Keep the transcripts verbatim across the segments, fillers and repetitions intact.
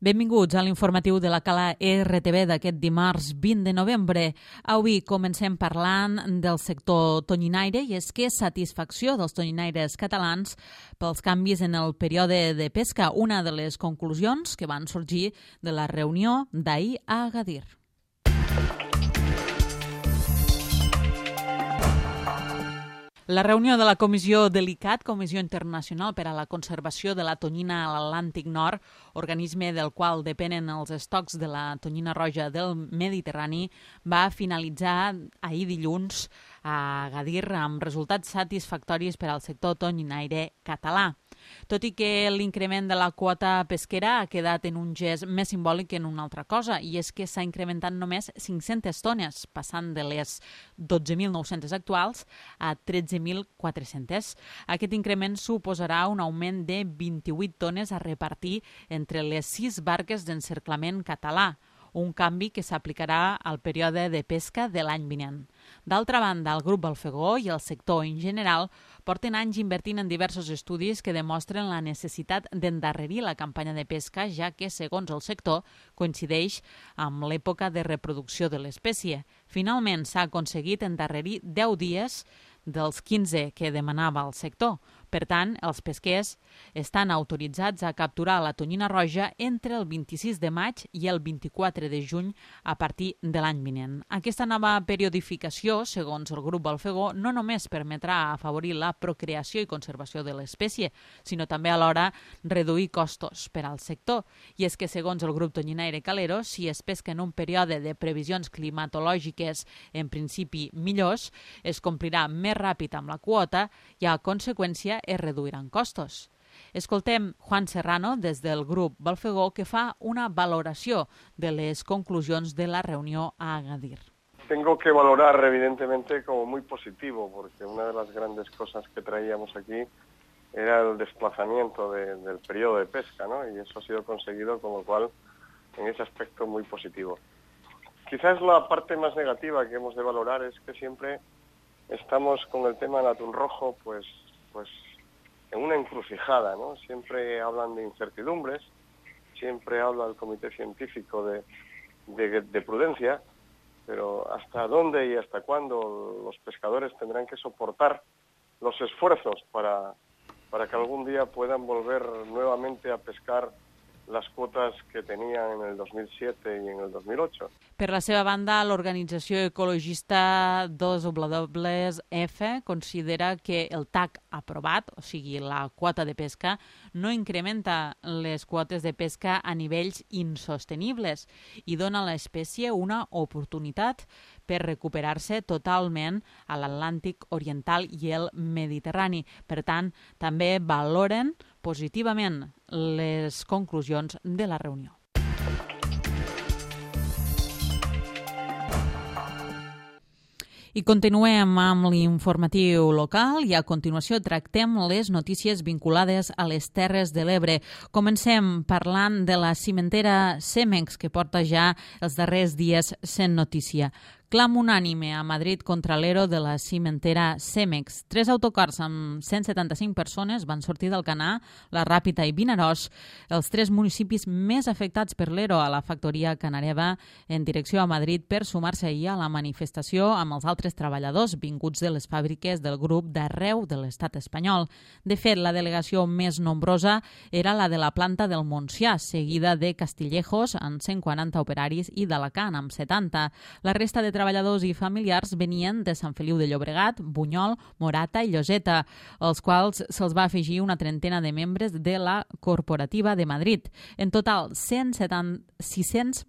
Benvinguts a l'informatiu de la Cala R T V d'aquest dimarts vint de novembre. Avui comencem parlant del sector tonyinaire i és que satisfacció dels tonyinaires catalans pels canvis en el període de pesca, una de les conclusions que van sorgir de la reunió d'ahir a Agadir. La reunió de la Comissió DELICAT, Comissió Internacional per a la Conservació de la Tonyina a l'Atlàntic Nord, organisme del qual depenen els estocs de la tonyina roja del Mediterrani, va finalitzar ahir dilluns a Agadir amb resultats satisfactoris per al sector tonyinaire català. Tot i que l'increment de la quota pesquera ha quedat en un gest més simbòlic que en una altra cosa, i és que s'ha incrementat només cinc-centes tones, passant de les dotze mil nou-centes actuals a tretze mil quatre-centes. Aquest increment suposarà un augment de vint-i-vuit tones a repartir entre les sis barques d'encerclament català, un canvi que s'aplicarà al període de pesca de l'any vinent. D'altra banda, el grup Balfegó i el sector en general porten anys invertint en diversos estudis que demostren la necessitat d'endarrerir la campanya de pesca, ja que, segons el sector, coincideix amb l'època de reproducció de l'espècie. Finalment, s'ha aconseguit endarrerir deu dies dels quinze que demanava el sector. Per tant, els pesquers estan autoritzats a capturar la tonyina roja entre el vint-i-sis de maig i el vint-i-quatre de juny a partir de l'any vinent. Aquesta nova periodificació, segons el grup Balfegó, no només permetrà afavorir la procreació i conservació de l'espècie, sinó també alhora reduir costos per al sector. I és que, segons el grup tonyinaire calero, si es pesca en un període de previsions climatològiques en principi millors, es complirà més ràpid amb la quota i, a conseqüència, es reduiran costos. Escoltem Juan Serrano, des del grup Balfegó, que fa una valoració de les conclusions de la reunió a Agadir. Tengo que valorar, evidentemente, como muy positivo, porque una de las grandes cosas que traíamos aquí era el desplazamiento de, del periodo de pesca, ¿no? Y eso ha sido conseguido, con lo cual, en ese aspecto, muy positivo. Quizás la parte más negativa que hemos de valorar es que siempre estamos con el tema del atún rojo, pues, pues en una encrucijada, ¿no? Siempre hablan de incertidumbres, siempre habla el comité científico de, de, de prudencia, pero ¿hasta dónde y hasta cuándo los pescadores tendrán que soportar los esfuerzos para, para que algún día puedan volver nuevamente a pescar les quotes que tenien en el dos mil set i en el dos mil ocho. Per la seva banda, l'organització ecologista dos W F considera que el T A C aprovat, o sigui, la quota de pesca, no incrementa les quotes de pesca a nivells insostenibles i dona a l'espècie una oportunitat per recuperar-se totalment a l'Atlàntic Oriental i el Mediterrani. Per tant, també valoren positivament les conclusions de la reunió. I continuem amb l'informatiu local i a continuació tractem les notícies vinculades a les Terres de l'Ebre. Comencem parlant de la cimentera Cemex, que porta ja els darrers dies sent notícia. Clam unànime a Madrid contra l'ero de la cimentera Cemex. Tres autocars amb cent setanta-cinc persones van sortir del Canà, la Ràpita i Vinaròs, els tres municipis més afectats per l'ero a la factoria canareva, en direcció a Madrid per sumar-se ahir a la manifestació amb els altres treballadors vinguts de les fàbriques del grup d'arreu de l'estat espanyol. De fet, la delegació més nombrosa era la de la planta del Montsià, seguida de Castillejos, amb cent quaranta operaris, i d'Alacant, amb setanta. La resta de treballadors i familiars venien de Sant Feliu de Llobregat, Bunyol, Morata i Lloseta, als quals se'ls va afegir una trentena de membres de la Corporativa de Madrid. En total, sis cents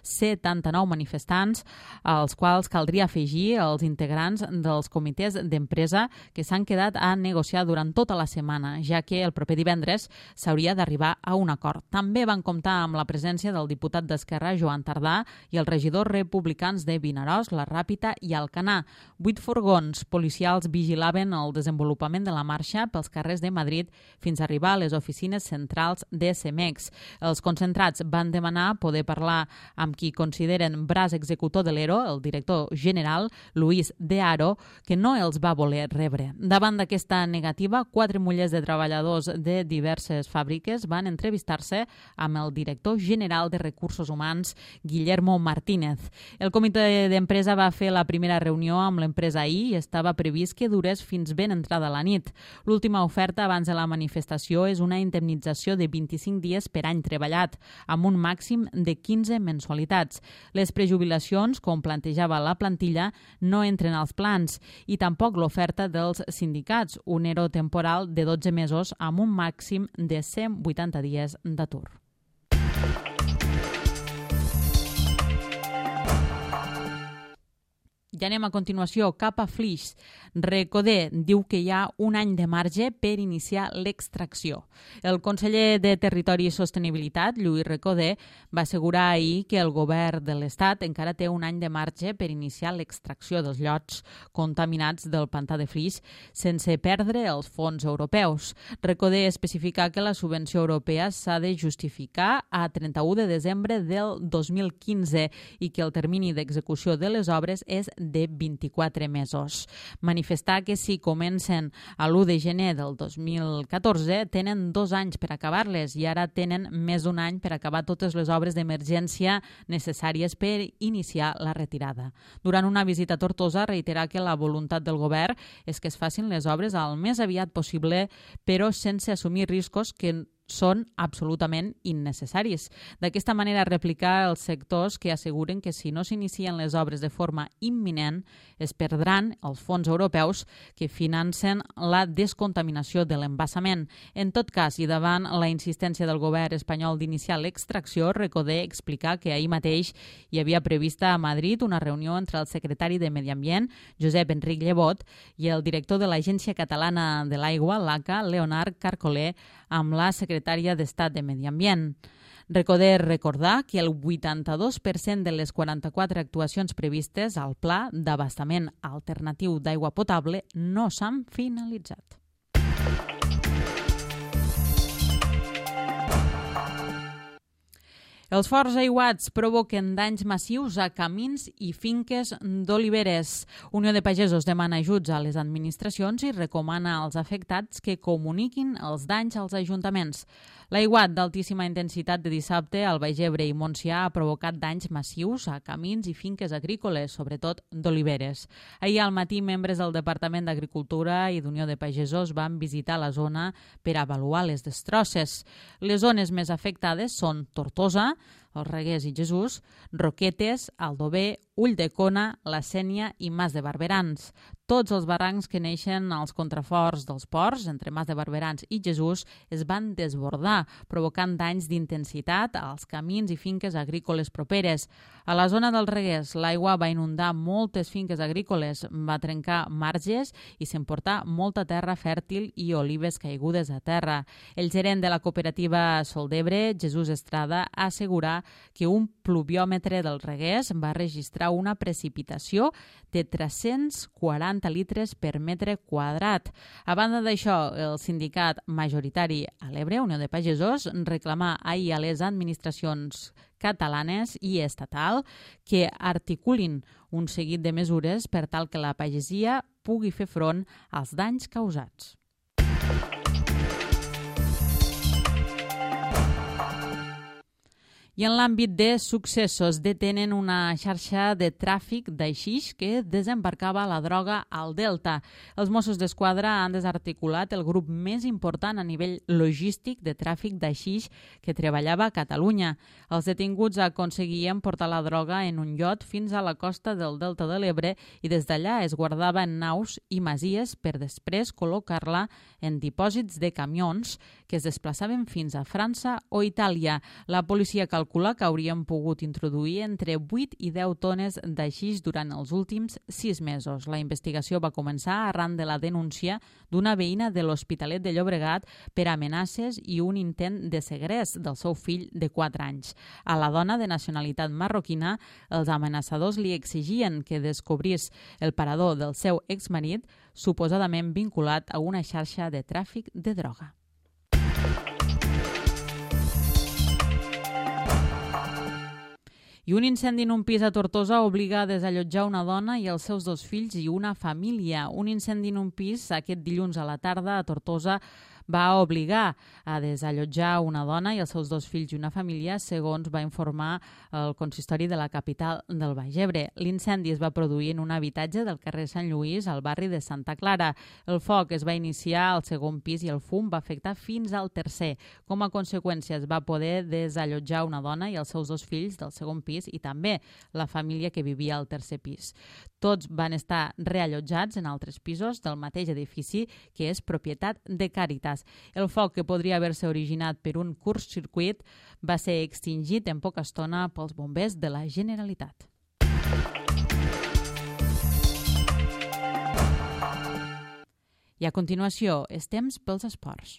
setanta-nou manifestants, als quals caldria afegir els integrants dels comitès d'empresa que s'han quedat a negociar durant tota la setmana, ja que el proper divendres s'hauria d'arribar a un acord. També van comptar amb la presència del diputat d'Esquerra, Joan Tardà, i els regidors republicans de Vinaròs, Vinaròs, la Ràpita i Alcanar. Vuit furgons policials vigilaven el desenvolupament de la marxa pels carrers de Madrid fins a arribar a les oficines centrals de Cemex. Els concentrats van demanar poder parlar amb qui consideren braç executor de l'E R O, el director general, Luis de Haro, que no els va voler rebre. Davant d'aquesta negativa, quatre mullers de treballadors de diverses fàbriques van entrevistar-se amb el director general de Recursos Humans, Guillermo Martínez. El comitè d'empresa va fer la primera reunió amb l'empresa ahir i estava previst que durés fins ben entrada la nit. L'última oferta abans de la manifestació és una indemnització de vint-i-cinc dies per any treballat, amb un màxim de quinze mensualitats. Les prejubilacions, com plantejava la plantilla, no entren als plans i tampoc l'oferta dels sindicats, un E R O temporal de dotze mesos amb un màxim de cent vuitanta dies d'atur. Ja anem a continuació cap a Flix. Recoder diu que hi ha un any de marge per iniciar l'extracció. El conseller de Territori i Sostenibilitat, Lluís Recoder, va assegurar ahir que el govern de l'Estat encara té un any de marge per iniciar l'extracció dels llots contaminats del pantà de Flix sense perdre els fons europeus. Recoder especifica que la subvenció europea s'ha de justificar a trenta-u de desembre del dos mil quinze i que el termini d'execució de les obres és de vint-i-quatre mesos. Manifestar que si comencen a l'u de gener del dos mil catorze tenen dos anys per acabar-les i ara tenen més d'un any per acabar totes les obres d'emergència necessàries per iniciar la retirada. Durant una visita a Tortosa reiterà que la voluntat del govern és que es facin les obres al més aviat possible, però sense assumir riscos que són absolutament innecessaris. D'aquesta manera replicar els sectors que asseguren que si no s'inicien les obres de forma imminent es perdran els fons europeus que financen la descontaminació de l'embassament. En tot cas, i davant la insistència del govern espanyol d'iniciar l'extracció, Recoder explica que ahir mateix hi havia prevista a Madrid una reunió entre el secretari de Medi Ambient, Josep Enric Llebot, i el director de l'Agència Catalana de l'Aigua, l'A C A, Leonard Carcolé, amb la secretària d'Estat de Medi Ambient. Recoder recordar que el vuitanta-dos per cent de les quaranta-quatre actuacions previstes al Pla d'Abastament Alternatiu d'Aigua Potable no s'han finalitzat. Els forts aiguats provoquen danys massius a camins i finques d'oliveres. Unió de Pagesos demana ajuts a les administracions i recomana als afectats que comuniquin els danys als ajuntaments. L'aiguat d'altíssima intensitat de dissabte al Baix Ebre i Montsià ha provocat danys massius a camins i finques agrícoles, sobretot d'oliveres. Ahir al matí, membres del Departament d'Agricultura i d'Unió de Pagesos van visitar la zona per avaluar les destrosses. Les zones més afectades són Tortosa, els Reguers i Jesús, Roquetes, Aldover, Ulldecona, La Sénia i Mas de Barberans. Tots els barrancs que neixen als contraforts dels ports, entre Mas de Barberans i Jesús, es van desbordar, provocant danys d'intensitat als camins i finques agrícoles properes. A la zona dels Reguers, l'aigua va inundar moltes finques agrícoles, va trencar marges i s'emportar molta terra fèrtil i olives caigudes a terra. El gerent de la cooperativa Sol d'Ebre, Jesús Estrada, assegura que un pluviòmetre dels Reguers va registrar una precipitació de tres-cents quaranta litres per metre quadrat. A banda d'això, el sindicat majoritari a l'Ebre, Unió de Pagesos, reclamà ahir a les administracions catalanes i estatal que articulin un seguit de mesures per tal que la pagesia pugui fer front als danys causats. I en l'àmbit de successos, detenen una xarxa de tràfic d'aixix que desembarcava la droga al Delta. Els Mossos d'Esquadra han desarticulat el grup més important a nivell logístic de tràfic d'aixix que treballava a Catalunya. Els detinguts aconseguien portar la droga en un iot fins a la costa del Delta de l'Ebre i des d'allà es guardava en naus i masies per després col·locar-la en dipòsits de camions que es desplaçaven fins a França o Itàlia. La policia calcula calcula que haurien pogut introduir entre vuit i deu tones d'aixix durant els últims sis mesos. La investigació va començar arran de la denúncia d'una veïna de l'Hospitalet de Llobregat per amenaces i un intent de segrest del seu fill de quatre anys. A la dona de nacionalitat marroquina, els amenaçadors li exigien que descobrís el parador del seu exmarit, suposadament vinculat a una xarxa de tràfic de droga. I un incendi en un pis a Tortosa obliga a desallotjar una dona i els seus dos fills i una família. Un incendi en un pis aquest dilluns a la tarda a Tortosa va obligar a desallotjar una dona i els seus dos fills i una família, segons va informar el consistori de la capital del Baix Ebre. L'incendi es va produir en un habitatge del carrer Sant Lluís, al barri de Santa Clara. El foc es va iniciar al segon pis i el fum va afectar fins al tercer. Com a conseqüència, es va poder desallotjar una dona i els seus dos fills del segon pis i també la família que vivia al tercer pis. Tots van estar reallotjats en altres pisos del mateix edifici, que és propietat de Càritas. El foc, que podria haver-se originat per un curt-circuit, va ser extingit en poca estona pels bombers de la Generalitat. I a continuació, és temps pels esports.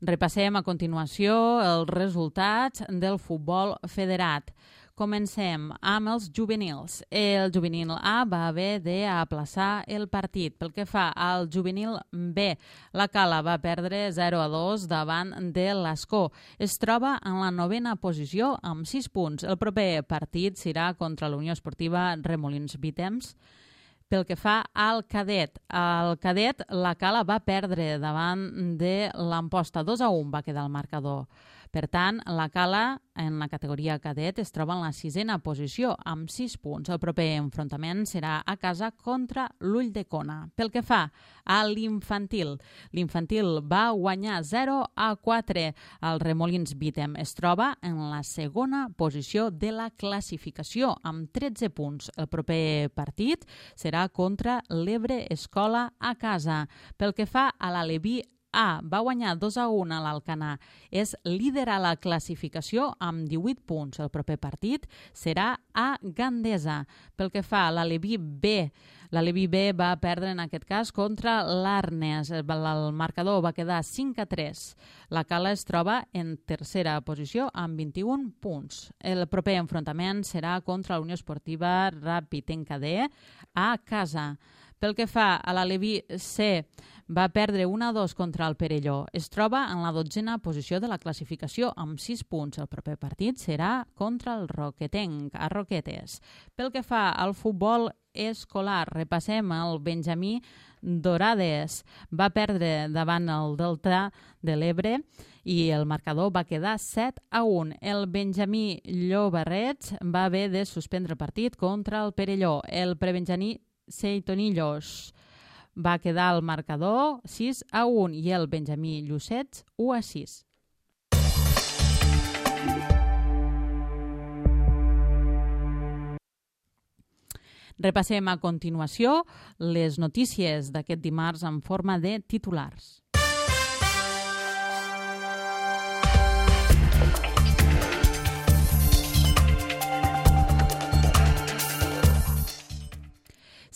Repassem a continuació els resultats del futbol federat. Comencem amb els juvenils. El juvenil A va haver d'aplaçar el partit. Pel que fa al juvenil B, la Cala va perdre zero a dos davant de l'Escó. Es troba en la novena posició amb sis punts. El proper partit serà contra la Unió Esportiva Remolins Vitems. Pel que fa al cadet, el cadet la Cala va perdre davant de l'Amposta. dos a un va quedar el marcador. Per tant, la Cala en la categoria cadet es troba en la sisena posició amb sis punts. El proper enfrontament serà a casa contra l'Ulldecona. Pel que fa a l'infantil, l'infantil va guanyar zero a quatre al Remolins Vitem. Es troba en la segona posició de la classificació amb tretze punts. El proper partit serà contra l'Ebre Escola a casa. Pel que fa a l'Aleví A, va guanyar dos a un a l'Alcanar. És líder a la classificació amb divuit punts. El proper partit serà a Gandesa. Pel que fa a l'Aleví B, l'Aleví B va perdre en aquest cas contra l'Arnes. El marcador va quedar cinc a tres. La Cala es troba en tercera posició amb vint-i-un punts. El proper enfrontament serà contra la Unió Esportiva Ràpid Encadé a casa. Pel que fa a l'Aleví C, va perdre un a dos contra el Perelló. Es troba en la dotzena posició de la classificació amb sis punts. El proper partit serà contra el Roquetenc, a Roquetes. Pel que fa al futbol escolar, repassem el Benjamí Dorades. Va perdre davant el Delta de l'Ebre i el marcador va quedar set a un. El Benjamí Llobarrets va haver de suspendre el partit contra el Perelló. El prebenjamí Seitonillos va quedar el marcador sis a un i el Benjamí Llucets u a sis. Repassem a continuació les notícies d'aquest dimarts en forma de titulars.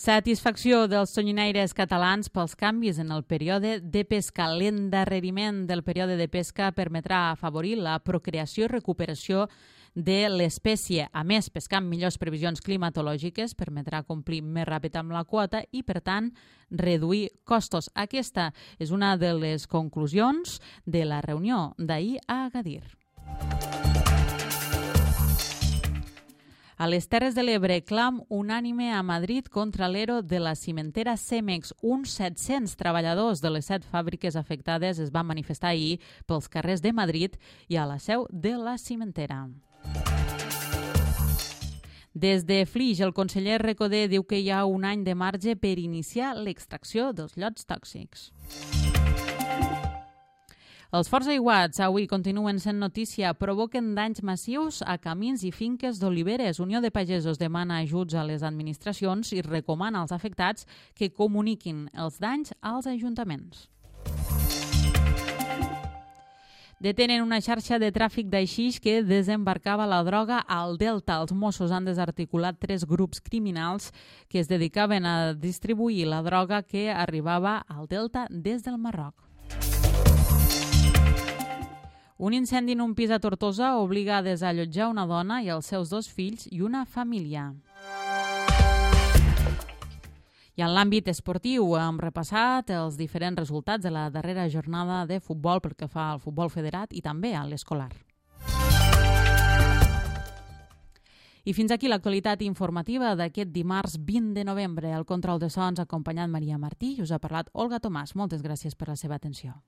Satisfacció dels tonyinaires catalans pels canvis en el període de pesca. L'endarreriment del període de pesca permetrà afavorir la procreació i recuperació de l'espècie. A més, pescar amb millors previsions climatològiques permetrà complir més ràpid amb la quota i, per tant, reduir costos. Aquesta és una de les conclusions de la reunió d'ahir a Agadir. A les Terres de l'Ebre, clam unànime a Madrid contra l'ero de la cimentera Cemex. Uns set-cents treballadors de les set fàbriques afectades es van manifestar ahir pels carrers de Madrid i a la seu de la cimentera. Des de Flix, el conseller Recoder diu que hi ha un any de marge per iniciar l'extracció dels llots tòxics. Els forts aiguats avui continuen sent notícia, provoquen danys massius a camins i finques d'oliveres. Unió de Pagesos demana ajuts a les administracions i recomana als afectats que comuniquin els danys als ajuntaments. Detenen una xarxa de tràfic d'aixix que desembarcava la droga al Delta. Els Mossos han desarticulat tres grups criminals que es dedicaven a distribuir la droga que arribava al Delta des del Marroc. Un incendi en un pis a Tortosa obliga a desallotjar una dona i els seus dos fills i una família. I en l'àmbit esportiu hem repassat els diferents resultats de la darrera jornada de futbol pel que fa al futbol federat i també a l'escolar. I fins aquí l'actualitat informativa d'aquest dimarts vint de novembre. Al control de sons ha acompanyat Maria Martí i us ha parlat Olga Tomàs. Moltes gràcies per la seva atenció.